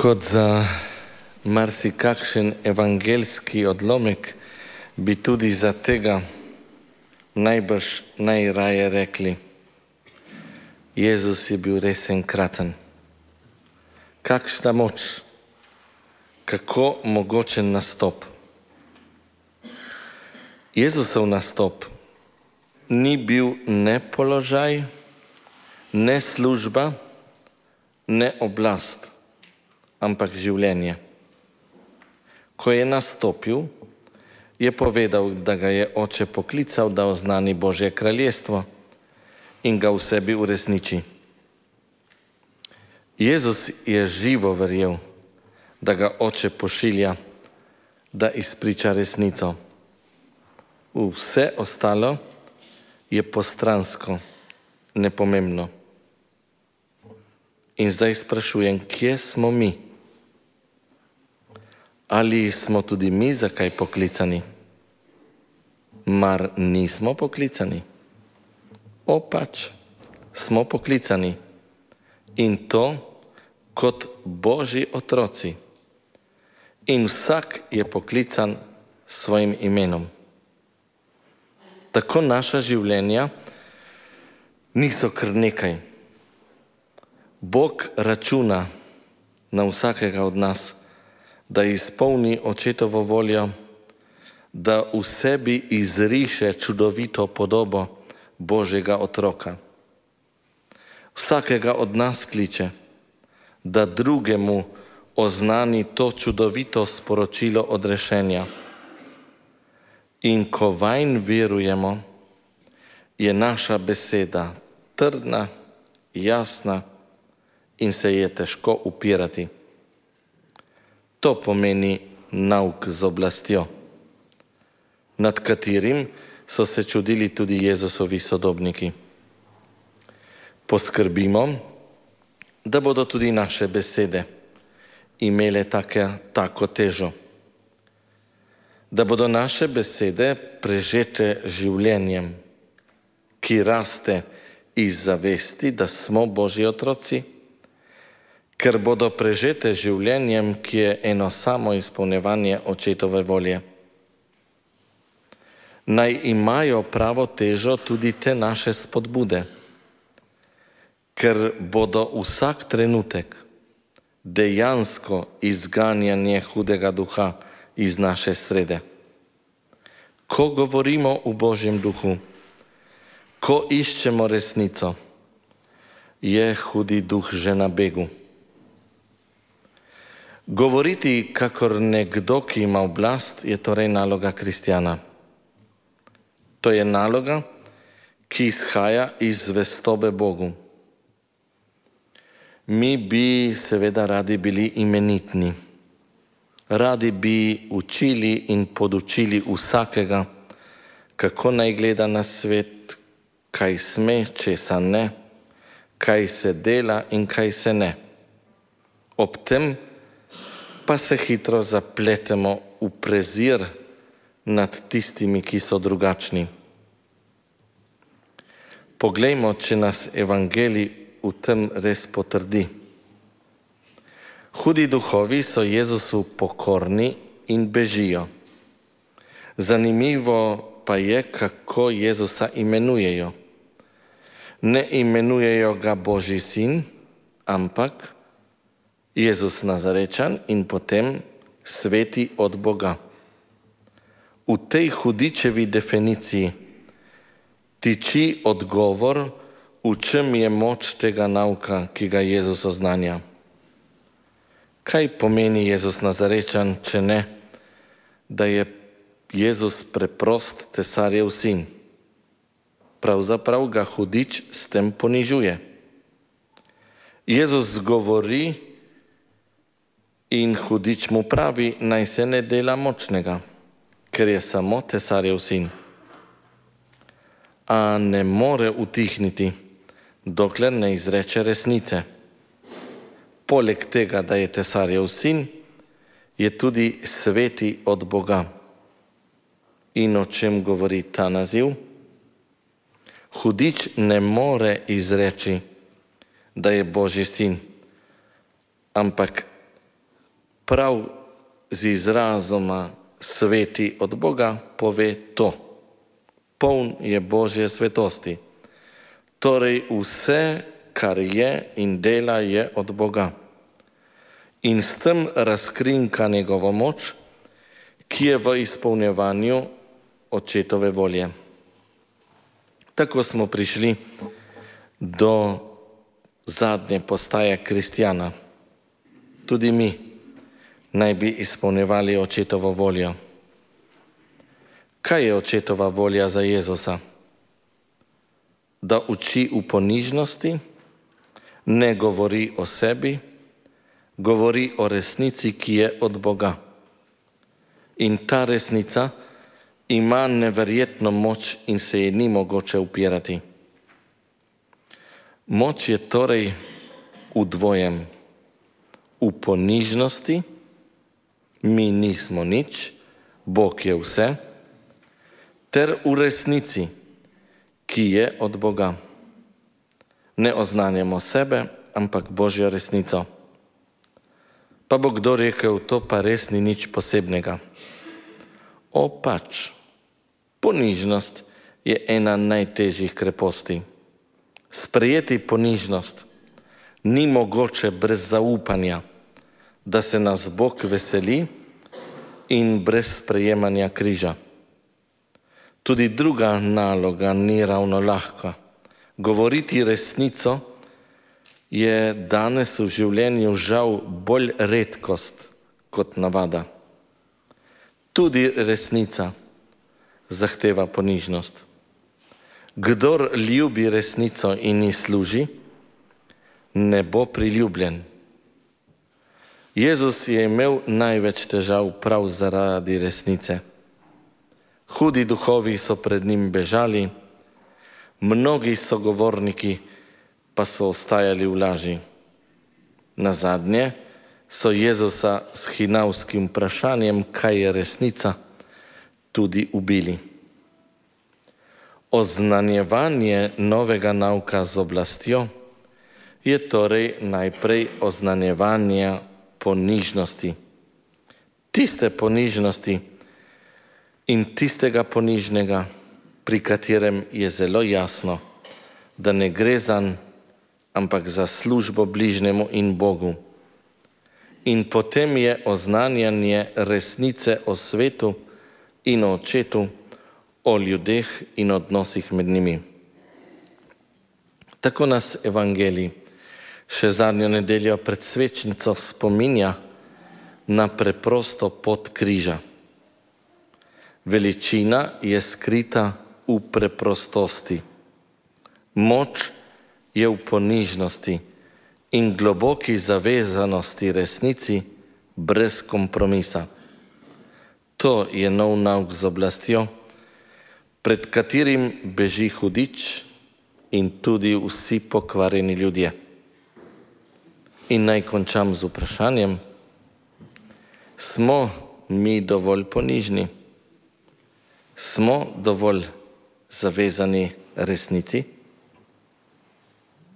Kot za marsikakšen evangeljski odlomek, bi tudi za tega najbrž najraje rekli: Jezus je bil res enkraten. Kakšna moč, kako mogočen nastop. Jezusov nastop ni bil ne položaj, ne služba, ne oblast, ampak življenje. Ko je nastopil, je povedal, da ga je Oče poklical, da oznani Božje kraljestvo in ga v sebi uresniči. Jezus je živo verjel, da ga Oče pošilja, da izpriča resnico. Vse ostalo je postransko, nepomembno. In zdaj sprašujem, kje smo mi? Ali smo tudi mi za kaj poklicani? Mar nismo poklicani? Pač, smo poklicani. In to kot Božji otroci. In vsak je poklican s svojim imenom. Tako naša življenja niso kar nekaj. Bog računa na vsakega od nas, da izpolni Očetovo voljo, da v sebi izriše čudovito podobo Božjega otroka. Vsakega od nas kliče, da drugemu oznani to čudovito sporočilo odrešenja. In ko vanj verujemo, je naša beseda trdna, jasna in se je težko upirati. To pomeni nauk z oblastjo, nad katerim so se čudili tudi Jezusovi sodobniki. Poskrbimo, da bodo tudi naše besede imele tako težo. Da bodo naše besede prežete življenjem, ki raste iz zavesti, da smo Božji otroci, ker bodo prežete življenjem, ki je eno samo izpolnjevanje Očetove volje. Naj imajo pravo težo tudi te naše spodbude, ker bodo vsak trenutek dejansko izganjanje hudega duha iz naše srede. Ko govorimo v Božjem duhu, ko iščemo resnico, je hudi duh že na begu. Govoriti kakor nekdo, ki ima oblast, je torej naloga kristjana. To je naloga, ki izhaja iz zvestobe Bogu. Mi bi seveda radi bili imenitni. Radi bi učili in podučili vsakega, kako naj gleda na svet, kaj sme, česa ne, kaj se dela in kaj se ne. Ob tem pa se hitro zapletemo v prezir nad tistimi, ki so drugačni. Poglejmo, če nas evangelij v tem res potrdi. Hudi duhovi so Jezusu pokorni in bežijo. Zanimivo pa je, kako Jezusa imenujejo. Ne imenujejo ga Božji sin, ampak Jezus Nazarečan in potem sveti od Boga. V tej hudičevi definiciji tiči odgovor, v čem je moč tega nauka, ki ga Jezus oznanja. Kaj pomeni Jezus Nazarečan, če ne, da je Jezus preprost tesarjev sin? Pravzaprav ga hudič s tem ponižuje. Jezus govori in hudič mu pravi, naj se ne dela močnega, ker je samo tesarjev sin. A ne more utihniti, dokler ne izreče resnice. Poleg tega, da je tesarjev sin, je tudi sveti od Boga. In o čem govori ta naziv? Hudič ne more izreči, da je Božji sin, ampak prav z izrazoma sveti od Boga pove to. Poln je Božje svetosti. Torej vse, kar je in dela, je od Boga. In s tem razkrinka njegovo moč, ki je v izpolnjevanju očetove volje. Tako smo prišli do zadnje postaje kristjana. Tudi mi naj bi izpolnjevali očetovo voljo. Kaj je očetova volja za Jezusa? Da uči v ponižnosti, ne govori o sebi, govori o resnici, ki je od Boga. In ta resnica ima neverjetno moč in se je ni mogoče upirati. Moč je torej v dvojem. V ponižnosti, mi nismo nič, Bog je vse, ter v resnici, ki je od Boga. Ne oznanjamo sebe, ampak Božjo resnico. Pa bo kdo rekel, to pa res ni nič posebnega. O pač, ponižnost je ena najtežjih kreposti. Sprejeti ponižnost ni mogoče brez zaupanja, da se nas Bog veseli in brez sprejemanja križa. Tudi druga naloga ni ravno lahka. Govoriti resnico je danes v življenju žal bolj redkost kot navada. Tudi resnica zahteva ponižnost. Kdor ljubi resnico in ji služi, ne bo priljubljen. Jezus je imel največ težav prav zaradi resnice. Hudi duhovi so pred njim bežali, mnogi sogovorniki pa so ostajali v laži. Nazadnje so Jezusa s hinavskim vprašanjem, kaj je resnica, tudi ubili. Oznanjevanje novega nauka z oblastjo je torej najprej oznanjevanje ponižnosti. Tiste ponižnosti in tistega ponižnega, pri katerem je zelo jasno, da ne gre zanj, ampak za službo bližnjemu in Bogu. In potem je oznanjanje resnice o svetu in o Očetu, o ljudeh in odnosih med njimi. Tako nas Evangelij še zadnjo nedeljo pred svečnico spominja na preprosto pot križa. Veličina je skrita v preprostosti. Moč je v ponižnosti in globoki zavezanosti resnici brez kompromisa. To je nov nauk z oblastjo, pred katerim beži hudič in tudi vsi pokvarjeni ljudje. In naj končam z vprašanjem, smo mi dovolj ponižni? Smo dovolj zavezani resnici?